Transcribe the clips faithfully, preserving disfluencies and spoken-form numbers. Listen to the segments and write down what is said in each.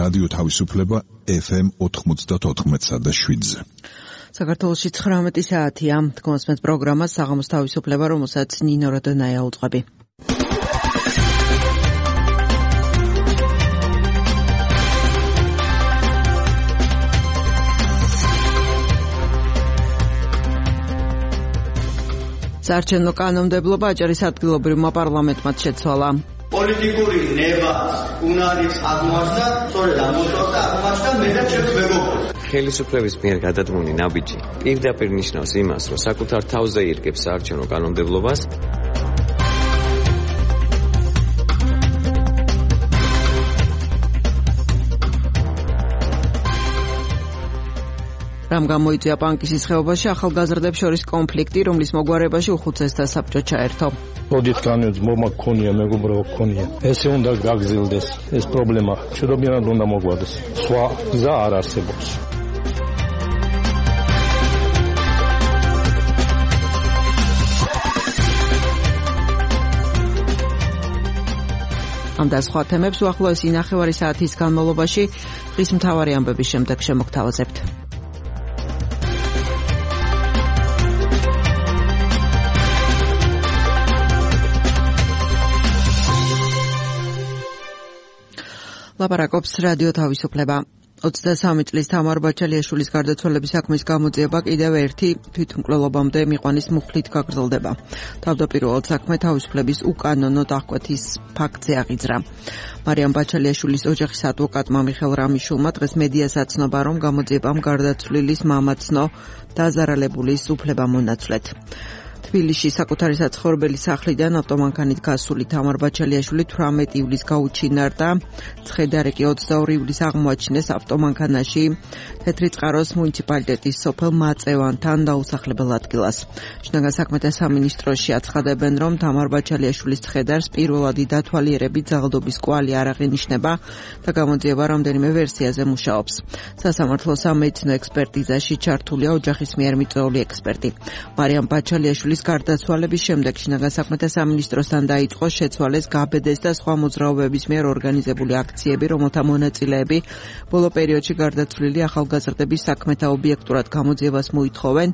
რადიო თავისუფლება ეფ ემ ოთხმოცდაოთხ და შვიდზე. საქართველოში ცხრამეტი საათია. თქვენს პროგრამას საღამოს თავისუფლება, რომელსაც ნინო როდონაია უძღვები. საარჩევნო კანონმდებლობა აჭარის ადგილობრივმა პარლამენტმა შეცვალა. პოლიტიკური ნება უნარის აღმოჩნდა, სწორედ აღმოჩნდა აღმოჩნდა მე და ჩემს მეგობრებს. ხელისუფლების მიერ გადადგმული ნაბიჯი პირდაპირ ნიშნავს იმას, რომ საკუთარ თავზე ირგებს საარჩევნო კანონმდებლობას. რამ გამოიწვია პანკისის ხეობაში ახალგაზრდებს შორის კონფლიქტი, რომლის მოგვარებაში უხუცესთა საბჭო ჩაერთო. ოდით განვեց მომა გქონია, მეგობრებო გქონია. ესე უნდა გაგზილდეს ეს პრობლემა. შედობიანად უნდა მოგვარდეს. სხვა გზა არ არსებობს. ამ და სხვა თემებს უახლოესი ნახევარი საათის განმავლობაში დღის მთავარი ამბების შემდეგ შემოგთავაზებთ. ლაპარაკობს რადიო თავისუფლება. ოცდასამი წლის თამარ ბაჩალიაშვილის გარდაცვალების საქმის გამოძიება კიდევ ერთი თვითმკვლელობამდე მიყვანის მუხლით გაგრძელდება. თავდაპირველად საქმე თავისუფლების უკანონო დახკვეთის ფაქტზე აღიძრა. მარიამ ბაჩალიაშვილის ოჯახის ადვოკატმა მიხელ რამიშულმა დღეს მედიას აცნობა, რომ გამოძიებამ გარდაცვლილის მამაცნო დაზარალებულის უფლება მონაცვლეთ. თბილისში საკუთარი საცხოვრებელი სახლიდან ავტომანქანით გასული თამარ ბაჩალიაშვილი თვრამეტი ივლისს გაუჩინარდა. ცხედარეკი ოცდაორი ივლისს აღმოაჩინეს ავტომანქანაში თეთრი წყაროს მუნიციპალიტეტის სოფელ მაწევანთან დაუსახლებელ ადგილას. შინაგან საქმეთა სამინისტროში აცხადებენ, რომ თამარ ბაჩალიაშვილის ცხედარს პირველადი დათვალიერებით ძალადობის კვალი არ აღინიშნება და გამოძიება რამდენიმე ვერსიაზე მუშაობს. სასამართლო სამედიცინო ექსპერტიზაში ჩართულია ოჯახის მიერ მიწვეული ექსპერტი. მარიამ ბაჩალიაშვილი გარდაცვალების შემდეგ შინაგან საქმეთა სამინისტროსთან დაიწყო შეცვალეს, გაბედეს და სხვა მოძრაობების მიერ ორგანიზებული აქციები, რომელთა მონაწილეები ბოლო პერიოდში გარდაცვლილი ახალგაზრდების საქმეთა ობიექტურად გამოძიებას მოითხოვენ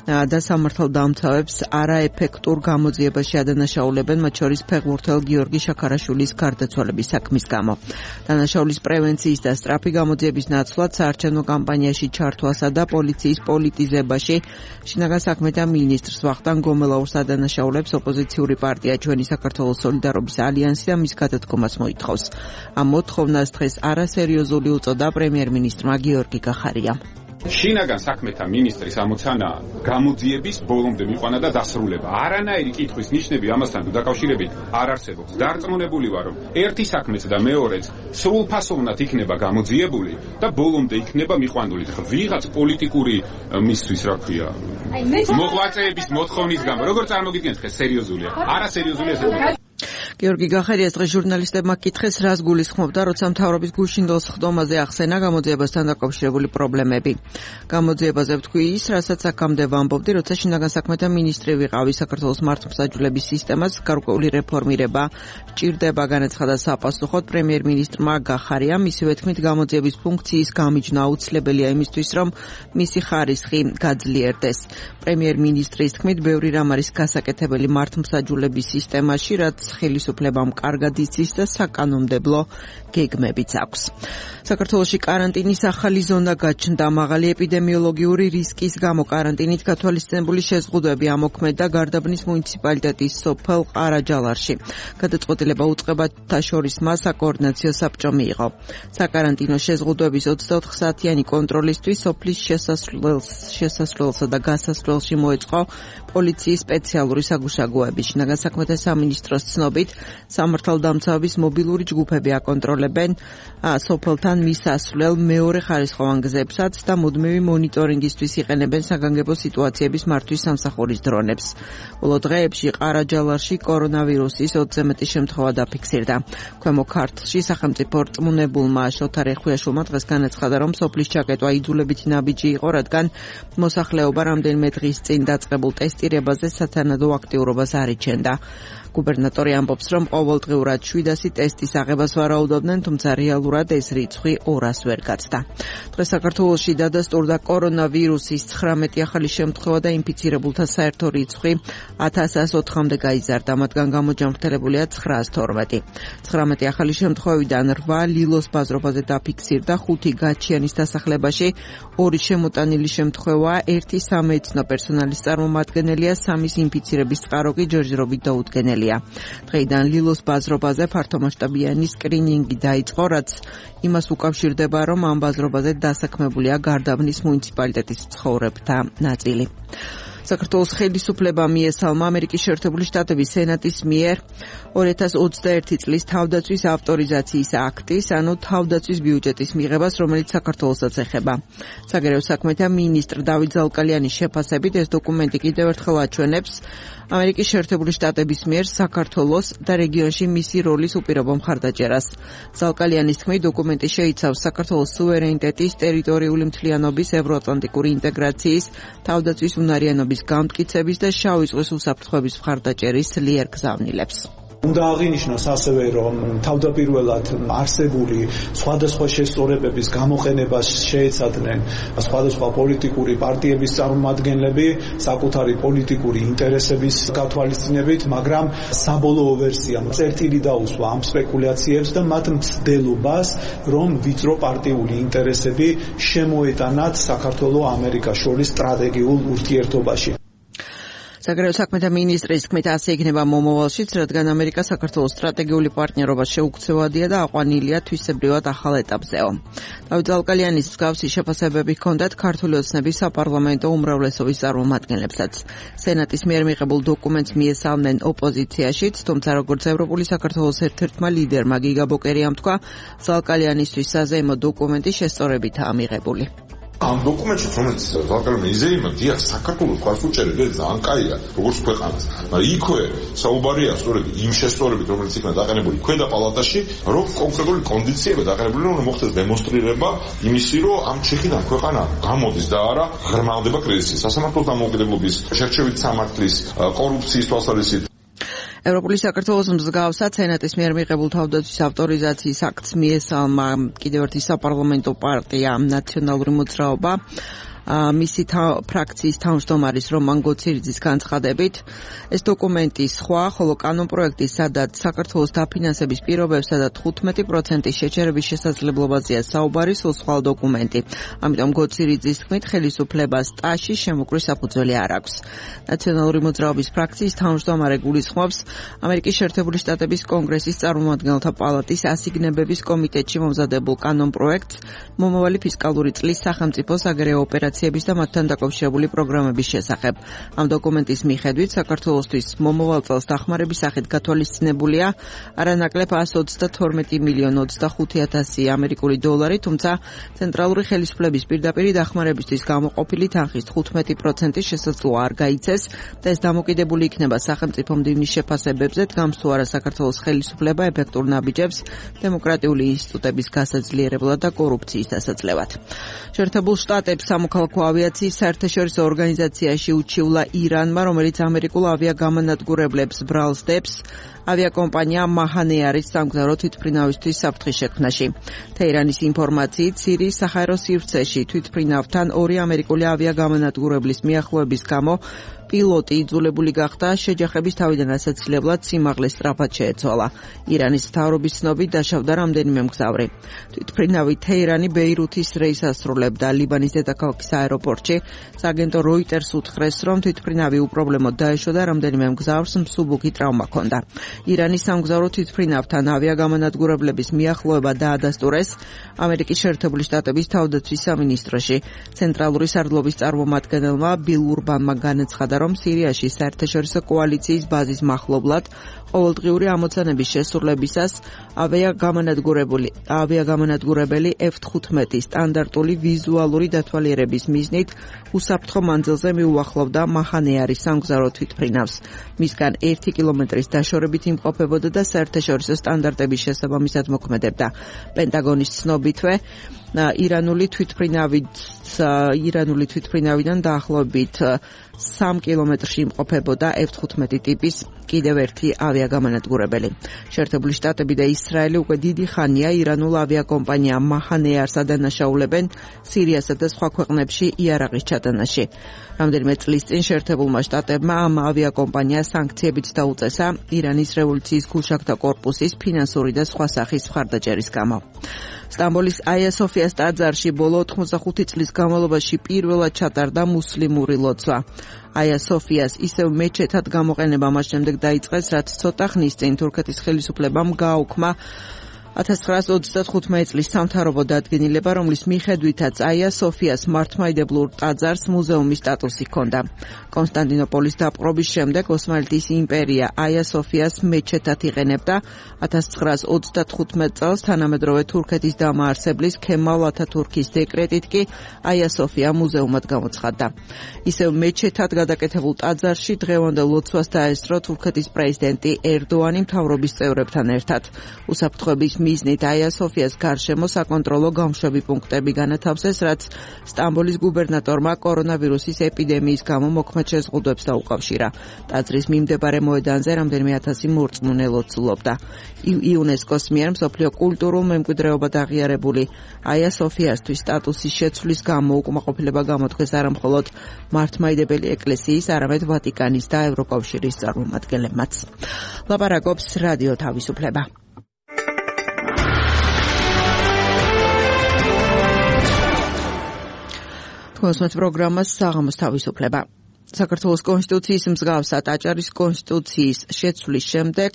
და სამართალდამცავებს არაეფექტურ გამოძიებაში ადანაშაულებენ, მათ შორის ფეხბურთელ გიორგი შაქარაშვილის გარდაცვალების საქმის გამო. დანაშაულის პრევენციის და სწრაფი გამოძიების ნაცვლად საარჩევნო კამპანიაში ჩართვასა და პოლიციის პოლიტიზებაში შინაგან საქმეთა მინისტრს ვახტანგ გომელაურს ადანაშაულებს ოპოზიციური პარტია ჩვენი საქართველოს სოლიდარობის ალიანსი და მის გადადგომას მოითხოვს. ამ მოთხოვნას დღეს არასერიოზული უწოდა პრემიერ-მინისტრმა გიორგი გახარიამ. შინაგან საქმეთა მინისტრის ამოცანა გამოძიების ბოლომდე მიყვანა და დასრულება. არანაირი კითხვის ნიშნები ამასთან დაკავშირებით არ არსებობს. დარწმუნებული ვარ, რომ ერთი საქმეც და მეორეც სრულფასოვნად იქნება გამოძიებული და ბოლომდე იქნება მიყვანული. ვიღაც პოლიტიკური მისთვის, რა ქვია, მოღვაწეების მოთხოვნის გამო, როგორ წარმოგიდგენთ, ხე სერიოზულია? არასერიოზულია ეს. გიორგი გახარიას დღეს ჟურნალისტებმა კითხეს, რას გულისხმობდა, როცა მთავრობის გუშინდელ სხდომაზე ახსენა გამოძიებასთან დაკავშირებული პრობლემები. გამოძიებაზე ვთქვი ის, რასაც აქამდე ვამბობდი, როცა შინაგან საქმეთა მინისტრი ვიყავი. საქართველოს მართლმსაჯულების სისტემას გარკვეული რეფორმირება ჭირდება, განაცხადა საპასუხოდ პრემიერ-მინისტრმა გახარიამ. მისივე თქმით, გამოძიების ფუნქციის გამიჯნა აუცილებელია იმისთვის, რომ მისი ხარისხი გაძლიერდეს. პრემიერ-მინისტრის თქმით, ბევრი რამ არის გასაკეთებელი მართლმსაჯულების სისტემაში, რაც ხელისუფლებამ კარგად იცის და საკანონმდებლო გეგმებიც აქვს. საქართველოში კარანტინის ახალი ზონა გაჩნდა. მაღალი ეპიდემიოლოგიური რისკის გამო კარანტინით გათვალისწინებული შეზღუდვები ამოქმედა გარდაბნის მუნიციპალიტეტის სოფელ ყარაჯალარში. გადაწყვეტილება უწყებათა შორის მას საკოორდინაციო საბჭო მიიღო. საკარანტინო შეზღუდვების ოცდაოთხ საათიანი კონტროლისთვის სოფლის შესასვლელსა და გასასვლელში მოეწყო პოლიციის სპეციალური საგუშაგოები. შინაგან საქმეთა სამინისტროს ცნობით, სამართალდამცავების მობილური ჯგუფები აკონტროლებენ სოფელთან მისასვლელ მეორე ხარისხოვან გზებსაც და მუდმივი მონიტორინგისთვის იყენებენ საგანგებო სიტუაციების მართვის სამსახურის დრონებს. ბოლო დღეებში ყარაჯალარში კორონავირუსის ოცზე მეტი შემთხვევა დაფიქსირდა. ქვემო ქართლში სახელმწიფო რწმუნებულმა შოთა რეხვიაშვილმა დღეს განაცხადა, რომ სოფლის ჩაკეტვა იძულებითი ნაბიჯი იყო, რადგან მოსახლეობა რამდენიმე დღის წინ დაწყებულ ტესტირებაზე სათანადო აქტიურობას არ იჩენდა. გუბერნატორი ამბობს, რომ ყოველდღიურად შვიდასი ტესტის აღებას ვარაუდობდნენ, თუმცა რეალურად ეს რიცხვი ორას ვერ გაცდა. დღეს საქართველოში დადასტურდა კორონავირუსის ცხრამეტი ახალი შემთხვევა და ინფიცირებულთა საერთო რიცხვი ათას ოცამდე გაიზარდა, მათგან გამოჯანმრთელებულია ცხრაას თორმეტი. ცხრამეტი ახალი შემთხვევიდან რვა ლილოს ბაზრობაზე დაფიქსირდა, ხუთი გაჩიანის დასახლებაში, ორი შემოტანილი შემთხვევა, ერთი სამეცნო პერსონალის წარმომადგენელია, სამის ინფიცირების წყარო კი ჯერჯერობით დაუდგენელია. დღეიდან ლილოს ბაზრობაზე ფართომასშტაბიანი სკრინინგი დაიწყო, რაც იმას უკავშირდება, რომ ამ ბაზრობაზე დასაქმებულია გარდაბნის მუნიციპალიტეტის მცხოვრებთა ნაწილი. საქართველოს ხელისუფლებამ მიესალმა ამერიკის შეერთებული შტატების სენატის მიერ ორი ათას ოცდაერთი წლის თავდაცვის ავტორიზაციის აქტის, ანუ თავდაცვის ბიუჯეტის მიღებას, რომელიც საქართველოსაც ეხება. საგარეო საქმეთა მინისტრ დავით ზალკალიანის შეფასებით ეს დოკუმენტი კიდევ ერთხელ აჩვენებს ამერიკის შეერთებული შტატების მიერ საქართველოს და რეგიონში მისი როლის უპირობო მხარდაჭერას. ზალკალიანის თქმით, დოკუმენტი შეიცავს საქართველოს სუვერენიტეტის, ტერიტორიული მთლიანობის, ევროატლანტიკური ინტეგრაციის, თავდაცვის უნარიანობის გამტკიცების და შავი ზღვის უსაფრთხოების მხარდაჭერის ძლიერ გზავნილებს. უნდა აღინიშნოს ასევე, რომ თავდაპირველად არსებული სხვადასხვა შესწორებების გამოყენებას შეეცადნენ სხვადასხვა პოლიტიკური პარტიების წარმომადგენლები საკუთარი პოლიტიკური ინტერესების გათვალისწინებით, მაგრამ საბოლოო ვერსიამ წერტილი დაუსვა ამ სპეკულაციებს და მათ მცდელობას, რომ ვიწრო პარტიული ინტერესები შემოეტანათ საქართველოს ამერიკას შორის სტრატეგიულ ურთიერთობაში. საგარეო საქმეთა მინისტრის თქმით, ასე იქნება მომავალშიც, რადგან ამერიკა საქართველოს სტრატეგიული პარტნიორობას შეუქცევადია და აყვანილია თვისებრივად ახალ ეტაპზეო. დავით ზალკალიანის მსგავსი შეფასებები ჰქონდათ ქართული ოცნების საპარლამენტო უმრავლესობის წარმომადგენლებსაც. სენატის მიერ მიღებულ დოკუმენტს მიესალმნენ ოპოზიციაშიც, თუმცა როგორც ევროპული საქართველოს ერთ-ერთმა ლიდერმა გიგა ბოკერიამ თქვა, ზალკალიანისთვის საზეიმო დოკუმენტი შესწორებითაა მიღებული. ამ დოკუმენტში რომელიც ზალკალიანი იზეიმა, დიახ, საქართველოს ხარფუჭერე ძალიან კაია, როგორც ქვეყანას. მაგრამ იქვე საუბარია სწორედ იმ შესწორებით, რომელიც იქნა დაყენებული ქვედა პალატაში, რომ კონკრეტული კონდიციები დაყენებული, რომ მოხდეს დემონსტრირება იმისი, რომ ამ ჩეხიდან ქვეყანა გამოდის და არა ღრმავდება კრიზისის. სასამართლოს დამოუკიდებლობის, შერჩევით სამართლის, კორუფციის თვალსაზრისით. ევროპული საქართველოს მსგავსად სენატის მიერ მიღებულ თავდაცვის ავტორიზაციის აქტს მიესალმა კიდევ ერთი საპარლამენტო პარტია ნაციონალური მოძრაობა. მისი ფრაქციის თავმჯდომარის რომან გოცირიძის განცხადებით, ეს დოკუმენტი სხვა, ხოლო კანონპროექტი, სადაც საქართველოს დაფინანსების პირობებსა და თხუთმეტი პროცენტის შეჩერების შესაძლებლობაზეა საუბარი, სულ სხვა დოკუმენტი. ამიტომ გოცირიძის თქმით, ხელისუფლებას ტაში შემოკრის საფუძველი არ აქვს. ნაციონალური მოძრაობის ფრაქციის თავმჯდომარე გულისხმობს ამერიკის შეერთებული შტატების კონგრესის წარმომადგენელთა პალატის ასიგნებების კომიტეტში მომზადებულ კანონპროექტს მომავალი ფისკალური წლის სახელმწიფო საგარეო ოპერაციების და მათთან დაკავშირებული პროგრამების შესახებ. ამ დოკუმენტის მიხედვით საქართველოსთვის მომავალ წელს დახმარების სახით გათვალისწინებულია არანაკლებ εκατს ოცდათორმეტი მილიონი ოცდახუთი ათასი ამერიკული დოლარი, თუმცა ცენტრალური ხელისუფლების პირდაპირი დახმარებისთვის გამოყოფილი თანხის თხუთმეტი პროცენტის შესაძლოა არ გაიცეს და ეს დამოკიდებული იქნება სახელმწიფო მდივნის შეფასებებზე, დგამს თუ არა საქართველოს ხელისუფლება ეფექტურ ნაბიჯებს დემოკრატიული ინსტიტუტების გასაძლიერებლად და კორუფციის დასაძლევად. შეერთებულ შტატებს სამოქალაქო ავიაციის საერთაშორისო ორგანიზაციაში უჩივლა ირანმა, რომელიც ამერიკულ ავიაგამანადგურებლებს ბრალს დებს ავიაკომპანია მაჰანეარის სამგზავრო თვითმფრინავისთვის საფრთხის შექმნაში. თეირანის ინფორმაციით, სირიის საჰაერო სივრცეში თვითმფრინავთან ორი ამერიკული ავიაგამანადგურებლის მიახლოების გამო პილოტი იძულებული გახდა შეჯახების თავიდან ასაცილებლად სიმაღლეს სწრაფად შეეცვალა. ირანის მთავრობის ცნობით დაშავდა რამდენიმე მგზავრი. თვითმფრინავი თეირანი ბეირუთის რეისს ასრულებდა ლიბანის დედაქალაქის აეროპორტში. სააგენტო როიტერს უთხრეს, რომ თვითმფრინავი უპრობლემოდ დაეშვა და რამდენიმე მგზავრს მსუბუქი ტრავმა ჰქონდა. ირანის სამგზავრო თვითმფრინავთან ავიაგამანადგურებლების მიახლოება დაადასტურეს ამერიკის შეერთებული შტატების თავდაცვის სამინისტროში. ცენტრალური სარდლობის წარმომადგენელმა ბილ ურბანმა განაცხადა, რომ სირიაში საერთაშორისო კოალიციის ბაზის მახლობლად ყოველდღიური ამოცანების შესრულებისას ავიაგამანადგურებელი ავიაგამანადგურებელი ეფ თხუთმეტი სტანდარტული ვიზუალური დათვალიერების მიზნით უსაფრთხო მანძილზე მიუახლოვდა მაჰანეარის სამგზავრო თვითმფრინავს. მისგან ერთი კილომეტრის დაშორებით იმყოფებოდა და საერთაშორისო სტანდარტების შესაბამისად მოქმედებდა. პენტაგონის ცნობითვე ირანული თვითმფრინავით ირანული თვითმფრინავიდან დაახლოებით სამ კილომეტრში იმყოფებოდა ეფ თხუთმეტი ტიპის კიდევ ერთი ავიაგამანადგურებელი. შეერთებული შტატები და ისრაელი უკვე დიდი ხანია ირანულ ავიაკომპანია მაჰანეარს ადანაშაულებენ სირიასა და სხვა ქვეყნებში იარაღის ჩატანაში. რამდენიმე წლის წინ შეერთებულმა შტატებმა ამ ავიაკომპანიას სანქციებით დაუწესა ირანის რევოლუციის გულშაქთა კორპუსის ფინანსური და სხვა სახის მხარდაჭერის გამო. სტამბოლის აია სოფიას ტაძარში ბოლო ოთხმოცდახუთი წლის განმავლობაში პირველად ჩატარდა მუსლიმური ლოცვა. აია სოფიას ისევ მეჩეთად გამოყენება მას შემდეგ დაიწყეს, რაც ცოტა ხნის წინ თურქეთის ხელისუფლებამ გააუქმა ათას ცხრაასი ოცდათხუთმეტი წლის სამთავრობო დადგენილება, რომლის მიხედვითაც აია სოფიას მართლმადიდებლურ ტაძარს მუზეუმის სტატუსი ჰქონდა. კონსტანტინოპოლის დაპყრობის შემდეგ ოსმალეთის იმპერია აია სოფიას მეჩეთად იყენებდა. ათას ცხრაასი ოცდათხუთმეტი წელს თანამედროვე თურქეთის დამაარსებლის ქემალ ათათურქის დეკრეტით კი აია სოფია მუზეუმად გამოცხადდა. ისევ მეჩეთად გადაკეთებულ ტაძარში დღევანდელ ლოცვას დაესწრო თურქეთის პრეზიდენტი ერდოანი მთავრობის წევრებთან ერთად. უსაფრთხოების მიზნით აია სოფიას გარშემო საკონტროლო გამშვები პუნქტები განათავსეს, რაც სტამბოლის გუბერნატორმა კორონავირუსის ეპიდემიის გამო მოქმედ შეზღუდვებს დაუკავშირა. ტაძრის მიმდებარე მოედანზე რამდენიმე ათასი მორწმუნე ლოცულობდა. იუნესკოს მიერ მსოფლიო კულტურულ მემკვიდრეობად აღიარებული აია სოფიასთვის სტატუსის შეცვლის გამო უკმაყოფილება გამოთქვეს არა მხოლოდ მართლმადიდებელი ეკლესიის, არამედ ვატიკანის და ევროკავშირის წარმომადგენლებმაც. ლაპარაკობს რადიო თავისუფლება. კონსმეთ პროგრამას საღამოს თავისუფლება. საქართველოს კონსტიტუციის მსგავსად აჭარის კონსტიტუციის შეცვლის შემდეგ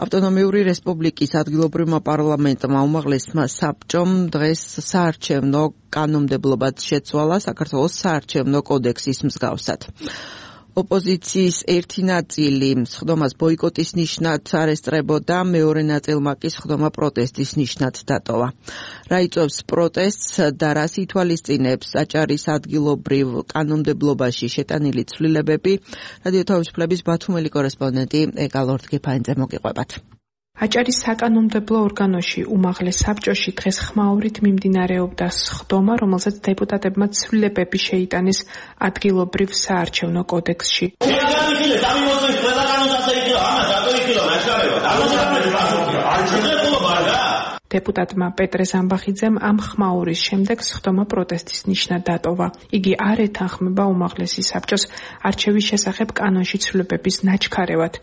ავტონომიური რესპუბლიკის ადგილობრივმა პარლამენტმა უმაღლესმა საბჭომ დღეს საარჩევნო კანონმდებლობაც შეცვალა საქართველოს საარჩევნო კოდექსის მსგავსად. ოპოზიციის ერთი ნაწილი სხდომას ბოიკოტის ნიშნად არ ესწრებოდა, მეორე ნაწილმა კი სხდომა პროტესტის ნიშნად დატოვა. რა იწვევს პროტესტს და რას ითვალისწინებს აჭარის ადგილობრივ კანონმდებლობაში შეტანილი ცვლილებები, რადიო თავისუფლების ბათუმელი კორესპონდენტი ეკა ლორდ-გიფაინძე მოგიყვებათ. აჭარის საკანონმდებლო ორგანოში უმაღლეს საბჭოში დღეს ხმაურით მიმდინარეობდა სხდომა, რომელზეც დეპუტატებმა ცვლილებები შეიტანეს ადგილობრივ საარჩევნო კოდექსში. დეპუტატმა პეტრე ზამბახიძემ ამ ხმაურის შემდეგ სხდომა პროტესტის ნიშნად დატოვა. იგი არ ეთანხმება უმაღლესი საბჭოს არჩევის შესახებ კანონში ცვლილებების ნაჩქარევად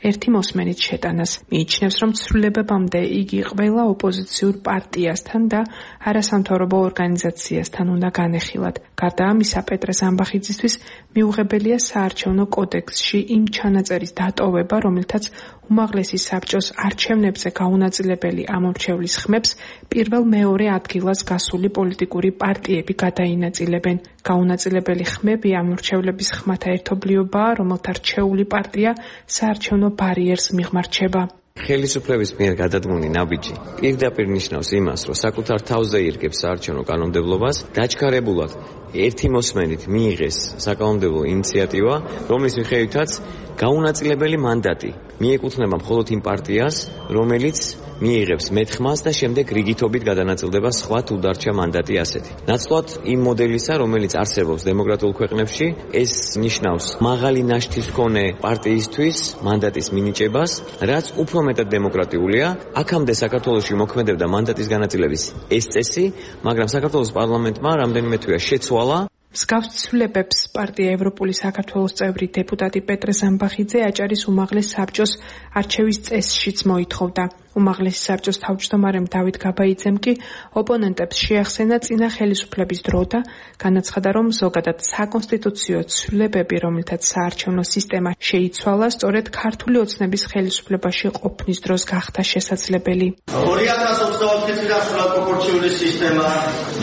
ერთი მოსმენით შეტანას. მიიჩნევს, რომ ცვლილებებამდე იგი ყველა ოპოზიციურ პარტიასთან და არასამთავრობო ორგანიზაციასთან უნდა განეხილათ. გარდა ამისა, პეტრე ზამბახიძისთვის მიუღებელია საარჩევნო კოდექსში იმ ჩანაწერის დატოვება, რომელთაც უმაღლესი საბჭოს არჩევნებზე გაუნაწილებელი ამორჩევლის ხმებს პირველ-მეორე ადგილას გასული პოლიტიკური პარტიები გადაინაწილებენ. გაუნაწილებელი ხმები ამორჩევლების ხმათა ერთობლიობაა, რომელთა რჩეული პარტია საარჩევნო ბარიერს მიღმარჩება. ხელისუფლების მიერ გადადგმული ნაბიჯი პირდაპირ ნიშნავს იმას, რომ საკუთარ თავზე ირგებს საარჩევნო კანონმდებლობას, დაჩქარებულად ერთი მოსმენით მიიღეს საკანონმდებლო ინიციატივა, რომლის მიხედვითაც გაუნაწილებელი მანდატი მიეკუთვნება მხოლოდ იმ პარტიას, რომელიც მიიღებს მეთხმას და შემდეგ რიგითობით გადანაწილდება სხვა თუ დარჩა მანდატი ასეთი. ნაცვლად იმ მოდელისა, რომელიც არსებობს დემოკრატიულ ქვეყნებში, ეს ნიშნავს მაღალი ნაშთის მქონე პარტიისთვის მანდატის მინიჭებას, რაც უფრო მეტად დემოკრატიულია. აქამდე საქართველოში მოქმედებდა მანდატის განაწილების ეს წესი, მაგრამ საქართველოს პარლამენტმა რამდენიმე თვეა შეცვალა. მსგავს ცვლილებებს პარტია ევროპული საქართველოს წევრი დეპუტატი პეტრე ზამბახიძე აჭარის უმაღლეს საბჭოს არჩევის წესშიც მოითხოვდა. უმაღლესი საბჭოს თავმჯდომარემ დავით გაბაიძემ კი ოპონენტებს შეახსენა წინა ხელისუფლების დრო და განაცხადა, რომ ზოგადად საკონსტიტუციო ცვლილებები, რომელთაც საარჩევნო სისტემა შეიცვალა, სწორედ ქართული ოცნების ხელისუფლებაში ყოფნის დროს გახდა შესაძლებელი. ორი ათას ოცდაოთხი წლიდან სრულად პროპორციული სისტემა,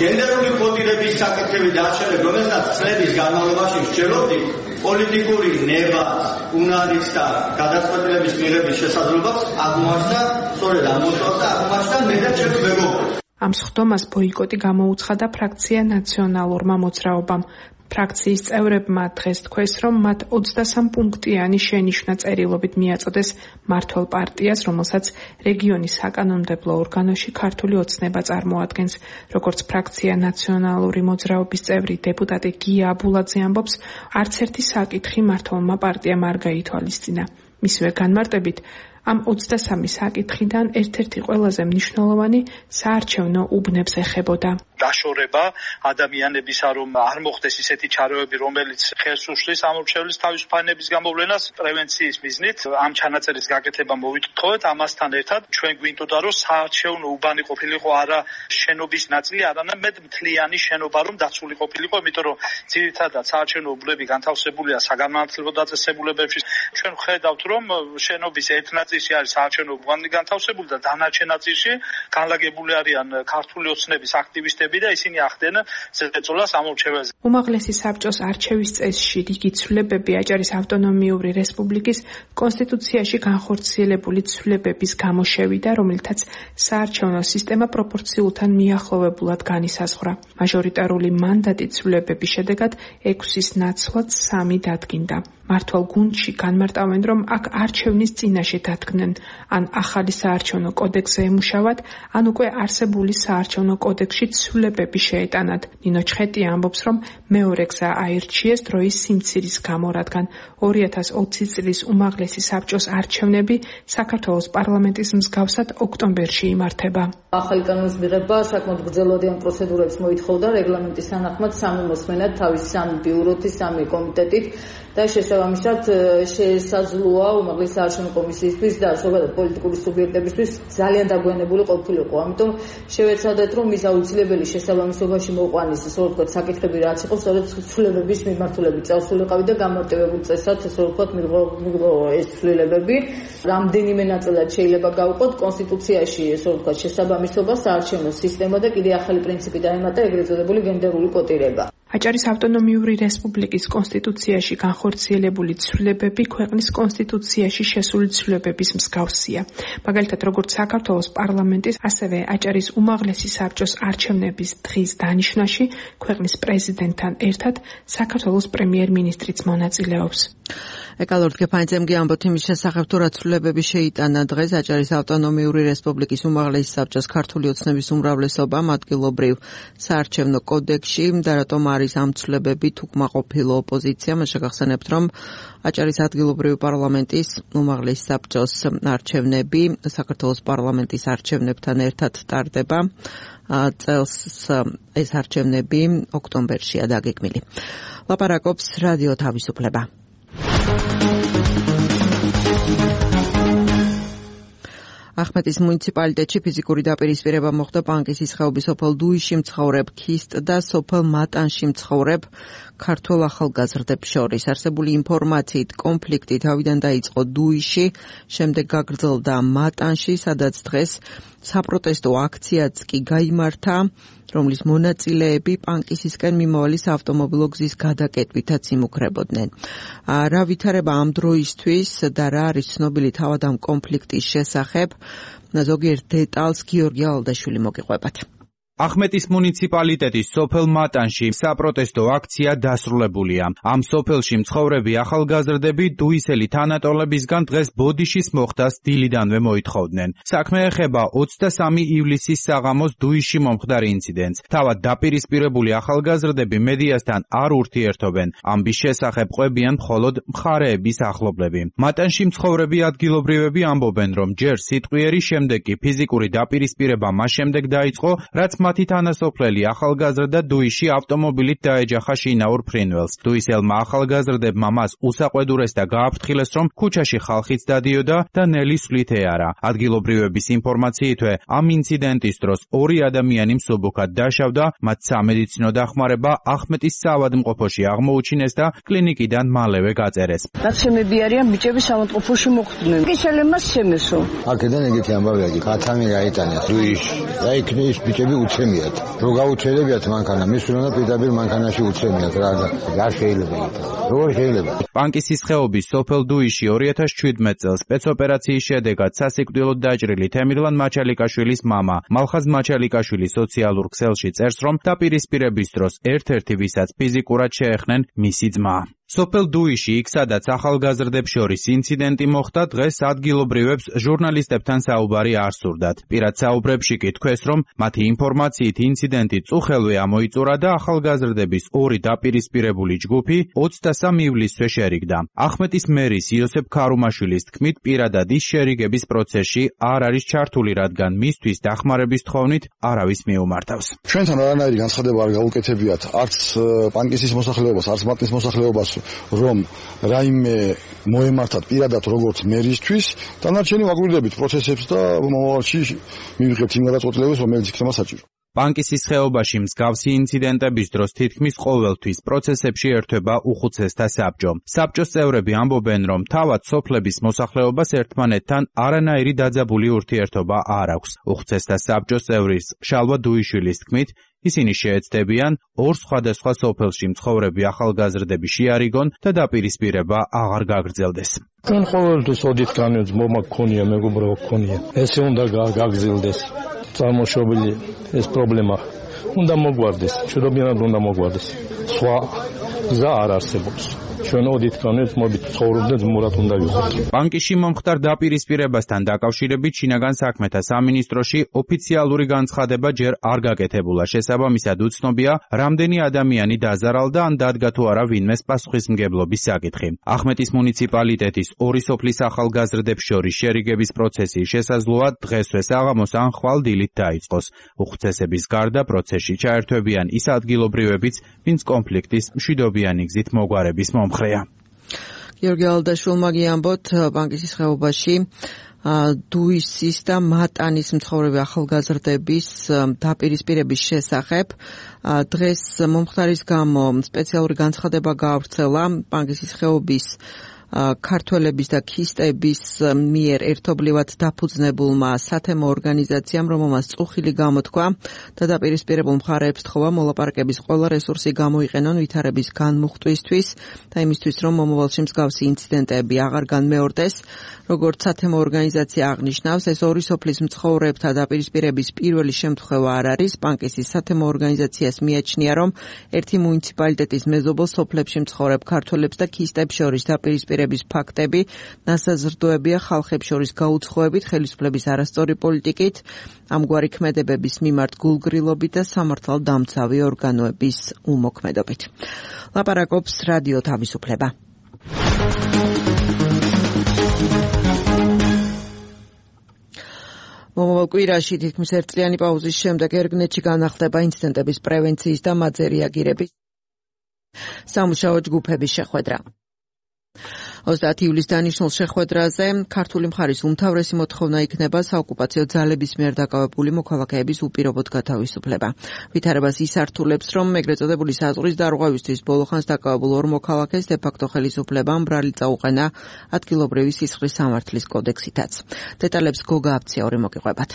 გენდერული კოდირების საკითხები დარჩენილ, რომელსაც წლების განმავლობაში ვსჯელობდით, პოლიტიკური ნება, უნარის და გადაწყვეტილების მიღების შესაძლებლობას აღმოაჩნდა, სწორედ აღმოჩნდა აღმოაჩნდა მე და ჩემს მეგობრებს. ამ სხდომას ბოიკოტი გამოუცხადა ფრაქცია ნაციონალურმა მოძრაობამ. ფრაქციის წევრებმა დღეს თქვეს, რომ მათ ოცდასამ პუნქტიანი შენიშვნა წერილობით მიაწოდეს მმართველ პარტიას, რომელსაც რეგიონის საკანონმდებლო ორგანოში ქართული ოცნება წარმოადგენს. როგორც ფრაქცია ნაციონალური მოძრაობის წევრი დეპუტატი გია აბულაძე ამბობს, არც ერთი საკითხი მმართველმა პარტიამ არ გაითვალისწინა. მისივე განმარტებით, ამ ოცდასამი საკითხიდან ერთ-ერთი ყველაზე მნიშვნელოვანი საარჩევნო უბნებს ეხებოდა. დაშორება ადამიანებისა, რომ არ მოხდეს ისეთი ჩარეები, რომელიც ხელს უშლის ამორჩევლის თავისუფლების გამოვლენას პრევენციის მიზნით ამ ჩანაწერის გაკეთება მოვიტხოვეთ. ამასთან ერთად ჩვენ გვინდოდა, რომ საარჩევნო უბანი ყოფილიყო არა შენობის ნაწილი, არამედ მთლიანი შენობა, რომ დაცული ყოფილიყო, იმიტომ რომ ძირითადად საარჩევნო უბნები განთავსებულია საგანმანათლებლო დაწესებულებებში. ჩვენ ვხედავთ, რომ შენობის ერთ ნაწილში არის საარჩევნო უბანი განთავსებული და დანარჩენ ნაწილში განლაგებული არიან ქართული ოცნების აქტივისტები და ისინი ახდენენ ზეწოლას ამორჩეველზე. უმაღლესი საბჭოს არჩევის წესში რიგი ცვლილებები აჭარის ავტონომიური რესპუბლიკის კონსტიტუციაში განხორციელებული ცვლილებების გამო შევიდა, რომელთაც საარჩევნო სისტემა პროპორციულთან მიახლოვებულად განისაზღვრა. მაჟორიტარული მანდატი ცვლილებების შედეგად ექვსის ნაცვლად სამი დადგინდა. მართვალ გუნდში განმარტავენ, რომ აქ არჩევნის წინაშე დადგნენ, ან ახალი საარჩევნო კოდექსზე ემუშავათ, ან უკვე არსებული საარჩევნო კოდექსში ცვლილებები შეეტანათ. ნინო ჩხეტია ამბობს, რომ მეორე გზა აირჩიეს დროის სიმცირის გამო, რადგან ორი ათას ოცი წლის უმაღლესი საბჭოს არჩევნები საქართველოს პარლამენტის მსგავსად ოქტომბერში იმართება. ახალი კანონის მიღება საკმაოდ გრძელვადიან პროცედურებს მოითხოვდა რეგლამენტის თანახმად სამი მოსმენად, თავის სამი ბიუროთი, სამი კომიტეტით და შესაბამისად შესაძლოა უმაღლესი საარჩევნო კომისიისთვის და ზოგადად პოლიტიკური სუბიექტებისთვის ძალიან დაგვიანებული ყოფილიყო. ამიტომ შევეცადეთ, რომ ის აუცილებელი შესაბამისობაში მოყვანის, ისე ვთქვათ, საკითხები რაც იყო, სწორედ ცვლილებების მიმართულებით წავსულიყავი და გამარტივებულ წესად, ისე ვთქვათ, მიიღო ეს ცვლილებები. რამდენიმე ნაწილად შეიძლება გავყოთ კონსტიტუციაში, ისე ვთქვათ, შესაბამისობა, საარჩევნო სისტემა და კიდე ახალი პრინციპი დაემატა, ეგრეთ წოდებული გენდერული კოტირება. აჭარის ავტონომიური რესპუბლიკის კონსტიტუციაში განხორციელებული ცვლილებები ქვეყნის კონსტიტუციაში შესული ცვლილებების მსგავსია. მაგალითად, როგორც საქართველოს პარლამენტის, ასევე აჭარის უმაღლესი საბჭოს არჩევნების დღის დანიშვნაში ქვეყნის პრეზიდენტთან ერთად საქართველოს პრემიერ-მინისტრიც მონაწილეობს. ეკალორდ გეფანიძემ ამბობთ იმის შესახებ, თუ რა ცვლილებები შეიტანა დღეს აჭარის ავტონომიური რესპუბლიკის უმაღლესი საბჭოს ქართული ოცნების უმრავლესობამ ადგილობრივ საარჩევნო კოდექსში და რატომ არის ამ ცვლილებებით უკმაყოფილო ოპოზიცია. მას შეგახსენებთ, რომ აჭარის ადგილობრივი პარლამენტის უმაღლესი საბჭოს არჩევნები საქართველოს პარლამენტის არჩევნებთან ერთად ტარდება. წელს ეს არჩევნები ოქტომბერშია დაგეგმილი. ლაპარაკობს რადიო თავისუფლება. ახმეტის მუნიციპალიტეტში ფიზიკური დაპირისპირება მოხდა პანკისის ხეობის სოფელ დუიში მცხოვრებ ქისტ და სოფელ მატანში მცხოვრებ ქართველ ახალგაზრდებს შორის. არსებული ინფორმაციით კონფლიქტი თავიდან დაიწყო დუიში, შემდეგ გაგრძელდა მატანში, სადაც დღეს საპროტესტო აქციაც კი გაიმართა, რომლის მონაწილეები პანკისისკენ მიმავალი საავტომობილო გზის გადაკეტვითაც იმუქრებოდნენ. რა ვითარება ამ დროისთვის და რა არის ცნობილი თავად ამ კონფლიქტის შესახებ, ზოგიერთ დეტალს გიორგი ალდაშვილი მოგიყვებათ. ახმეტის მუნიციპალიტეტის სოფელ მატანში საპროტესტო აქცია დასრულებულია. ამ სოფელში მცხოვრები ახალგაზრდები დუისელი თანატოლებისგან დღეს ბოდიშის მოხდას დილიდანვე მოითხოვდნენ. საქმე ეხება ოცდასამი ივლისის საღამოს დუისში მომხდარ ინციდენტს. თავად დაპირისპირებული ახალგაზრდები მედიასთან არ ურთიერთობენ. ამბის შესახებ ყვებიან მხოლოდ მხარეების ახლობლები. მატანში მცხოვრები ადგილობრივები ამბობენ, რომ ჯერ სიტყვიერი, შემდეგ კი ფიზიკური დაპირისპირება მას შემდეგ დაიწყო, რაც მათი თანასოფლელი ახალგაზრდა დუიში ავტომობილით დაეჯახა შინაურ ფრინველს. დუისელმა ახალგაზრდებმა მას უსაყვედურეს და გააფრთხილეს, რომ ქუჩაში ხალხიც დადიოდა და ნელი სვლით ეარა. ადგილობრივების ინფორმაციითვე ამ ინციდენტის დროს ორი ადამიანი მსუბუქად დაშავდა, მათ სამედიცინო დახმარება ახმეტის საავადმყოფოში აღმოუჩინეს და კლინიკიდან მალევე გაწერეს. ნაცემები არიან ბიჭები საავადმყოფოში მოხვდნენ. კიშელემას შემესო. აქედან ეგეთი ამბავია, კათამი გაიტანეს დუიში. და იქ ის ბიჭები უცემიათ. რო გაუჩერებიათ მანქანა, მის უნდა პირდაპირ მანქანაში უცემიათ რა და არ შეიძლება. როგორ შეიძლება? პანკისის ხეობის სოფელ დუიში ორი ათას შვიდმეტ წელს სპეცოპერაციის შედეგად სასიკვდილოდ დაჭრილი თემირლან მაჩალიკაშვილის მამა მალხაზ მაჩალიკაშვილი სოციალურ ქსელში წერს, რომ დაპირისპირების დროს ერთ-ერთი ვისაც ფიზიკურად შეეხნენ მისი ძმა. სოფელ დუიში, იქ სადაც ახალგაზრდებს შორის ინციდენტი მოხდა, დღეს ადგილობრივებს ჟურნალისტებთან საუბარი არ სურდათ. პირად საუბრებში კი თქვეს, რომ მათი ინფორმაციით ინციდენტი წუხელვე ამოიწურა და ახალგაზრდების ორი დაპირისპირებული ჯგუფი ოცდასამ ივლისზე შერიგდა. ახმეტის მერის იოსებ ქარუმაშვილის თქმით, პირადად ის შერიგების პროცესში არ არის ჩართული, რადგან მისთვის დახმარების თხოვნით არავის მიუმართავს. ჩვენთან არანაირი განცხადება არ გაუკეთებიათ არც პანკისის მოსახლეობას, არც მატნის მოსახლეობას, რომ რაიმე მოემართათ პირადად როგორც მერისთვის, დანარჩენი ვაგვირდებით პროცესებს და მომავალში მივიღებთ იმ გადაწყვეტილებებს, რომელიც იქნება საჭირო. პანკისის ხეობაში მსგავსი ინციდენტების დროს თითქმის ყოველთვის პროცესებში ერთვება უხუცესთა საბჭო. საბჭოს წევრები ამბობენ, რომ თავად სოფლების მოსახლეობას ერთმანეთთან არანაირი დაძაბული ურთიერთობა არ აქვს. უხუცესთა საბჭოს წევრის შალვა დუიშვილის თქმით, ისინი შეეცდებიან ორ სხვადასხვა სოფელში მცხოვრები ახალგაზრდები შეარიგონ და დაპირისპირება აღარ გაგრძელდეს. კან ყოველთვის ოდით განვեց მომა გქონია, მეგობრებო გქონია. ესე უნდა გაგრძელდეს. წარმოშობილი ეს პრობლემა უნდა მოგვარდეს, ჩვენებიანად უნდა მოგვარდეს. სხვა გზა არ არსებობს. ჩვენ ოდით განვեց მოდით ცხოვრობდეთ მურად უნდა ვიყოთ. პანკისში მომხდარ დაპირისპირებასთან დაკავშირებით შინაგან საქმეთა სამინისტროში ოფიციალური განცხადება ჯერ არ გაკეთებულა. შესაბამისად უცნობია, რამდენი ადამიანი დაზარალდა ან დადგა თუ არა ვინმეს პასუხისმგებლობის საკითხი. ახმეტის მუნიციპალიტეტის ორი სოფლის ახალგაზრდებს შორის შერიგების პროცესი შესაძლოა დღესვე საღამოს ან ხვალ დილით დაიწყოს. უხუცესების გარდა პროცესში ჩაერთვებიან ის ადგილობრივებიც, ვინც კონფლიქტის მშვიდობიანი გზით მოგვარების მომხრეა. გიორგი ალდაშვილმა გიამბოთ პანკისის ხეობაში დუისის და მატანის მცხოვრები ახალგაზრდების დაპირისპირების შესახებ. დღეს მომხდარის გამო სპეციალური განცხადება გაავრცელა პანკისის ხეობის ქართველების და ქისტების მიერ ერთობლივად დაფუძნებულმა სათემო ორგანიზაციამ, რომელმაც წუხილი გამოთქვა და დაპირისპირებულ მხარეებს თხოვა მოლაპარაკების ყველა რესურსი გამოიყენონ ვითარების განმუხტვისთვის და იმისთვის, რომ მომავალში მსგავსი ინციდენტები აღარ განმეორდეს. როგორც სათემო ორგანიზაცია აღნიშნავს, ეს ორი სოფლის მცხოვრებთა დაპირისპირების პირველი შემთხვევა არ არის. პანკისის სათემო ორგანიზაციას მიაჩნია, რომ ერთი მუნიციპალიტეტის მეზობელ სოფლებში მცხოვრებ ქართველებს და ქისტებს შორის დაპირისპირების ფაქტები ნასაზრდოებია ხალხებს შორის გაუცხოებით, ხელისუფლების არასწორი პოლიტიკით, ამგვარი ქმედებების მიმართ გულგრილობით და სამართალდამცავი ორგანოების უმოქმედობით. ლაპარაკობს რადიო თავისუფლება. მომავალ კვირაში თითქმის ერთწლიანი პაუზის შემდეგ ერგნეთში განახლდება ინციდენტების პრევენციის და მათ რეაგირების სამუშაო ჯგუფების შეხვედრა. ოცდაათი ივლისს დანიშნულ შეხვედრაზე ქართული მხარის უმთავრესი მოთხოვნა იქნება საოკუპაციო ძალების მიერ დაკავებული მოქალაქეების უპირობოდ გათავისუფლება. ვითარებას ისართულებს, რომ ეგრეთ წოდებული საზღვრის დარღვევისთვის ბოლოხანს დაკავებულ ორ მოქალაქეს დე-ფაქტო ხელისუფლებამ ბრალი წაუყენა ადგილობრივი სისხლის სამართლის კოდექსითაც. დეტალებს გოგა აფციაური მოგიყვებათ.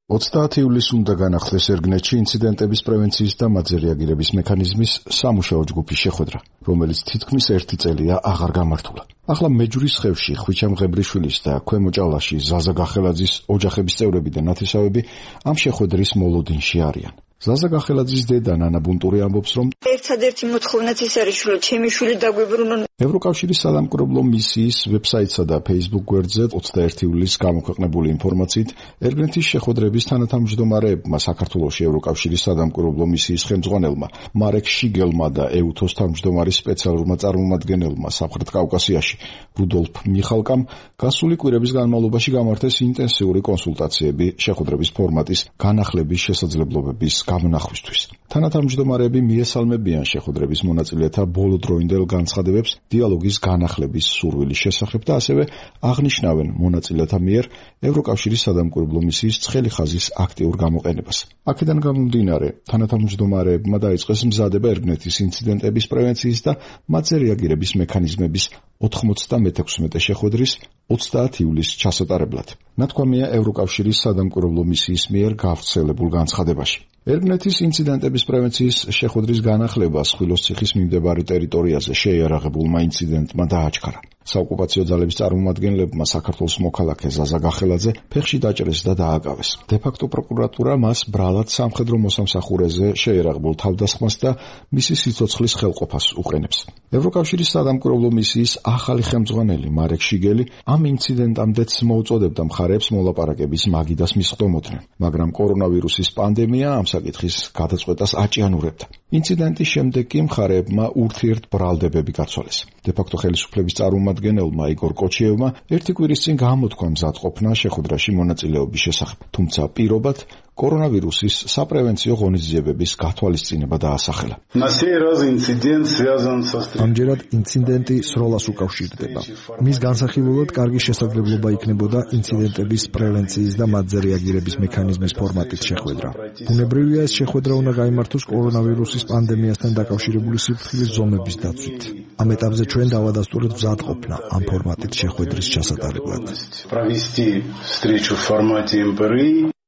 ოცდაათი ივლისს უნდა განახლდეს ერგნეთში ინციდენტების პრევენციის და მათზე რეაგირების მექანიზმის სამუშაო ჯგუფის შეხვედრა, რომელიც თითქმის ერთი წელია აღარ გამართულა. ახლა მეჯურის ხევში ხვიჩა მღებრიშვილის და ქვემო ჭალაში ზაზა გახელაძის ოჯახების წევრები და ნათესავები ამ შეხვედრის მოლოდინში არიან. ზაზა გახელაძის დედა ნანა ბუნტური ამბობს, რომ ერთადერთი მოთხოვნაც ის არის, რომ ჩემი შვილი დაგვიბრუნონ. ევროკავშირის სადამკვირვებლო მისიის ვებსაიტსა და Facebook გვერდზე ოცდაერთი ივლისს გამოქვეყნებული ინფორმაციით, ერგნეთის შეხვედრების თანათავმჯდომარეებმა საქართველოში ევროკავშირის სადამკვირვებლო მისიის ხელმძღვანელმა მარეკ შიგელმა და ეუთოს თავმჯდომარის სპეციალურმა წარმომადგენელმა სამხრეთ კავკასიაში რუდოლფ მიხალკამ გასული კვირების განმავლობაში გამართეს ინტენსიური კონსულტაციები შეხვედრების ფორმატის განახლების შესაძლებლობების გამონახვისთვის. თანათავმჯდომარეები მიესალმებიან შეხვედრების მონაწილეთა ბოლოდროინდელ განცხადებებს დიალოგის განახლების სურვილის შესახებ და ასევე აღნიშნავენ მონაწილეთა მიერ ევროკავშირის სადამკვირვებლო მისიის ცხელი ხაზის აქტიურ გამოყენებას. აქედან გამომდინარე, თანათავმჯდომარეებმა დაიწყეს მზადება ერგნეთის ინციდენტების პრევენციის და მათზე რეაგირების მექანიზმების ოთხმოცდამეექვსმეტე შეხვედრის ოცდაათი ივლისს ჩასატარებლად. ნათქვამია ევროკავშირის სადამკვირვებლო მისიის მიერ გავრცელებულ განცხადებაში. ერგნეთის ინციდენტების პრევენციის შეხვედრის განახლებას ხვილოსციხის მიმდებარე ტერიტორიაზე შეიარაღებულმა ინციდენტმა დააჩქარა. საოკუპაციო ძალების წარმომადგენლებმა საქართველოს მოქალაქე ზაზა გახელაძე ფეხში დაჭრეს და დააკავეს. დე-ფაქტო პროკურატურა მას ბრალად სამხედრო მოსამსახურეზე შეიარაღებულ თავდასხმას და მისი სიცოცხლის ხელყოფას უყენებს. ევროკავშირის სადამკვირვებლო მისიის ახალი ხელმძღვანელი მარეკ შიგელი ამ ინციდენტამდეც მოუწოდებდა მხარეებს მოლაპარაკების მაგიდას მისხდომოდნენ, მაგრამ კორონავირუსის პანდემია ამ საკითხის გადაწყვეტას აჭიანურებდა. ინციდენტის შემდეგ კი მხარეებმა ურთიერთბრალდებები გაცვალეს. დე-ფაქტო ხელისუფლების წარმომადგენელმა იგორ კოჩიევმა ერთი კვირის წინ გამოთქვა მზადყოფნა შეხვედრაში მონაწილეობის შესახებ, თუმცა პირობად კორონავირუსის საპრევენციო ღონისძიებების გათვალისწინება დაასახელა. ამჯერად ინციდენტი სროლას უკავშირდება. მის განსახილველად კარგი შესაძლებლობა იქნებოდა ინციდენტების პრევენციის და მათზე რეაგირების მექანიზმის ფორმატით შეხვედრა. ბუნებრივია, ეს შეხვედრა უნდა გაიმართოს კორონავირუსის პანდემიასთან დაკავშირებული სიფრთხილის ზომების დაცვით. ამ ეტაპზე ჩვენ დავადასტურეთ მზადყოფნა ამ ფორმატით შეხვედრის ჩასატარებლად.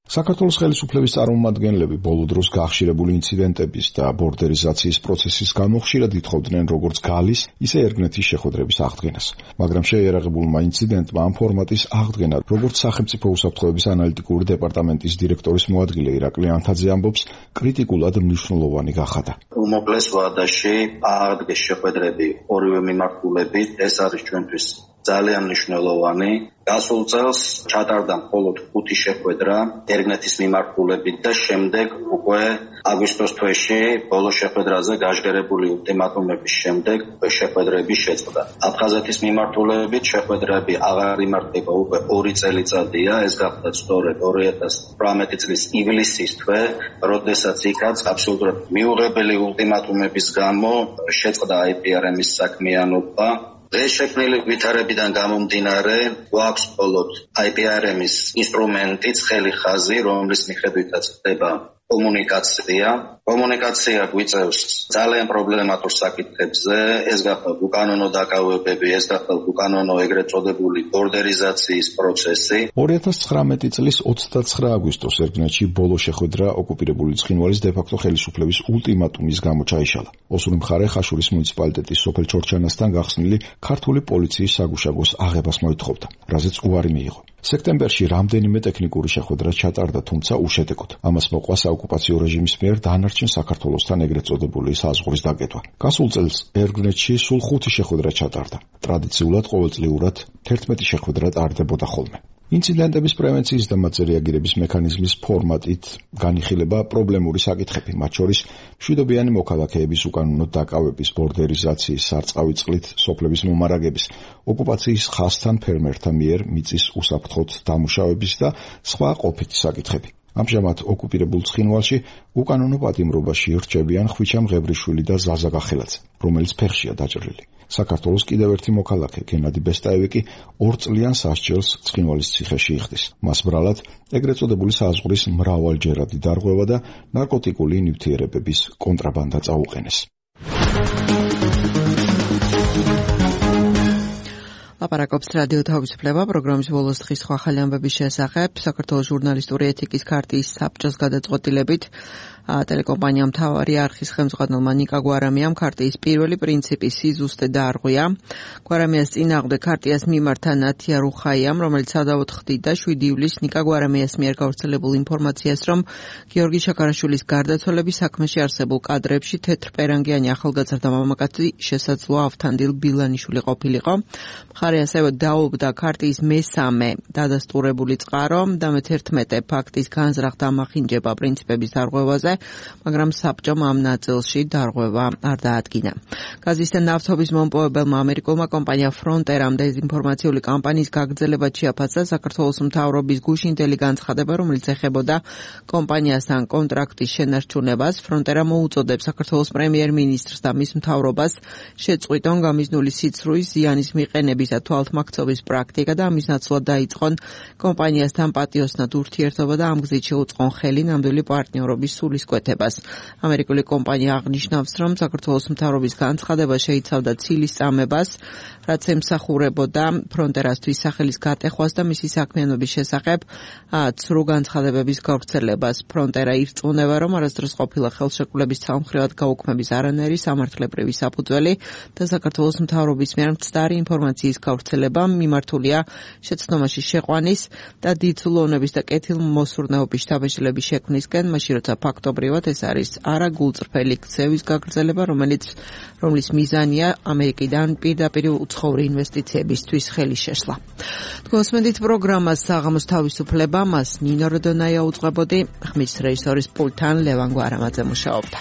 საქართველოს ხელისუფლების წარმომადგენლები ბოლო დროს გახშირებული ინციდენტების და ბორდერიზაციის პროცესის გამო ხშირად ითხოვდნენ როგორც გალის, ისე ერგნეთის შეხვედრების აღდგენას. მაგრამ შეიარაღებულმა ინციდენტმა ამ ფორმატის აღდგენა, როგორც სახელმწიფო უსაფრთხოების ანალიტიკური დეპარტამენტის დირექტორის მოადგილე ირაკლი ანთაძე ამბობს, კრიტიკულად მნიშვნელოვანი გახადა. უმოკლეს ვადაში აღდგეს შეხვედრები ორივე მიმართულებით, ეს არის ჩვენთვის ძალიან მნიშვნელოვანი. გასულ წელს ჩატარდა მხოლოდ ხუთი შეხვედრა ერგნეთის მიმართულებით და შემდეგ უკვე აგვისტოს თვეში ბოლო შეხვედრაზე გაჟღერებული ულტიმატუმების შემდეგ შეხვედრები შეწყდა. აფხაზეთის მიმართულებით შეხვედრები აღარ იმართება უკვე ორი წელიწადია, ეს გახდა სწორედ ორი ათას თვრამეტი წლის ივლისის თვე, როდესაც იქაც აბსოლუტურად მიუღებელი ულტიმატუმების გამო შეწყდა აი პი არ ემის საქმიანობა. დღეს შექმნილი ვითარებიდან გამომდინარე, გვაქვს მხოლოდ აი პი არ ემის ინსტრუმენტი, ცხელი ხაზი, რომლის მიხედვითაც ხდება კომუნიკაცია. კომუნიკაცია გვიწევს ძალიან პრობლემატურ საკითხებზე, ეს გახდა უკანონო დაკავებები, ეს გახდა უკანონო ეგრეთ წოდებული ბორდერიზაციის პროცესი. ორი ათას ცხრამეტი წლის ოცდაცხრა აგვისტოს ერგნეთში ბოლო შეხვედრა ოკუპირებული ცხინვალის დე-ფაქტო ხელისუფლების ულტიმატუმის გამო ჩაიშალა. ოსური მხარე ხაშურის მუნიციპალიტეტის სოფელ ჩორჩანასთან გახსნილი ქართული პოლიციის საგუშაგოს აღებას მოითხოვდა, რაზეც უარი მიიღო. სექტემბერში რამდენიმე ტექნიკური შეხვედრა ჩატარდა, თუმცა უშედეგოდ. ამას მოყვა საოკუპაციო რეჟიმის მიერ დანარჩენ საქართველოსთან ეგრეთ წოდებული საზღვრის დაკეტვა. გასულ წელს ერგნეთში სულ ხუთი შეხვედრა ჩატარდა. ტრადიციულად ყოველწლიურად თერთმეტი შეხვედრა ტარდებოდა ხოლმე. ინციდენტების პრევენციის და მათზე რეაგირების მექანიზმის ფორმატით განიხილება პრობლემური საკითხები, მათ შორის მშვიდობიანი მოქალაქეების უკანონო დაკავების, ბორდერიზაციის, სარწყავი წყლით სოფლების მომარაგების, ოკუპაციის ხაზთან ფერმერთა მიერ მიწის უსაფრთხოდ დამუშავების და სხვა ყოფითი საკითხები. ამჟამად ოკუპირებულ ცხინვალში უკანონო პატიმრობაში რჩებიან ხვიჩა მღევრიშვილი და ზაზა გახელაძე, რომელიც ფეხშია დაჭრილი. საქართველოს კიდევ ერთი მოქალაქე გენადი ბესტაევი კი ორ წლიან სასჯელს ცხინვალის ციხეში იხდის. მას ბრალად ეგრეთ წოდებული საზღვრის მრავალჯერადი დარღვევა და ნარკოტიკული ნივთიერებების კონტრაბანდა წაუყენეს. ლაპარაკობს რადიო თავისუფლება პროგრამის ბოლოს დღის სხვა ახალი ამბების შესახებ საქართველოს ჟურნალისტური ეთიკის ქარტიის საბჭოს გადაწყვეტილებით ტელეკომპანია მთავარი არხის ხელმძღვანელმა ნიკა გვარამიამ ქარტიის პირველი პრინციპი სიზუსტე დაარღვია. გვარამიას წინააღმდეგ ქარტიას მიმართა ნათია რუხაიამ, რომელიც სადავოდ ხდიდა შვიდი ივლისს ნიკა გვარამიას მიერ გავრცელებულ ინფორმაციას, რომ გიორგი შაქარაშვილის გარდაცვალების საქმეში არსებულ კადრებში თეთრპერანგიანი ახალგაზრდა მამაკაცი შესაძლოა ავთანდილ ბილანიშვილი ყოფილიყო. მხარე ასევე დაობდა ქარტიის მესამე დადასტურებული წყარო და მეთერთმეტე ფაქტის განზრახ დამახინჯება პრინციპების დარღვევაზე, მაგრამ საბჭომ ამ ნაწილში დარღვევა არ დაადგინა. გაზის და ნავთობის მომპოვებელმა ამერიკულმა კომპანია ფრონტერამ დეзинფორმაციული კამპანიის გაგრძელება შეაფასა საქართველოს მთავრობის გუშინდელი განცხადება, რომელიც ეხებოდა კომპანიასთან კონტრაქტის შენარჩუნებას. ფრონტერა მოუწოდებს საქართველოს პრემიერ-მინისტრს და მის მთავრობას შეწყვიტონ გამიზნული სიცრუის ზიანის მიყენების და თვალთმაქცობის პრაქტიკა და ამის ნაცვლად დაიწყონ კომპანიასთან პატიოსნად ურთიერთობა და ამ გზით შეუწყონ ხელი ნამდვილი პარტნიორობის სულისკვეთებაზე. შეწყვეტებას. ამერიკული კომპანია აღნიშნავს, რომ საქართველოს მთავრობის განცხადება შეიცავდა ცილის წამებას, რაც ემსახურებოდა ფრონტერასთვის სახელის გატეხვას და მისი საქმიანობის შესახებ ცრუ განცხადებების გავრცელებას. ფრონტერა ირწმუნება, რომ არასდროს ყოფილა ხელშეკრულების ცალმხრივად გაუქმების არანაირი სამართლებრივი საფუძველი და საქართველოს მთავრობის მიერ მცდარი ინფორმაციის გავრცელება მიმართულია შეცდომაში შეყვანის და დიცულოვნების და კეთილმოსურნეობის შთაბეჭდილების შექმნისკენ, მაშინ როცა ფაქტობრივად ეს არის არა გულწრფელი ქცევის გაგრძელება, რომელიც რომლის მიზანია ამერიკიდან პირდაპირ უცხოური ინვესტიციებისთვის ხელის შეშლა. თქვენსმენდით პროგრამას საღამოს თავისუფლება, მას ნინო როდონაია უძღვებოდი, ხმის რეჟისორის პულტთან ლევან გვარამაძე მუშაობდა.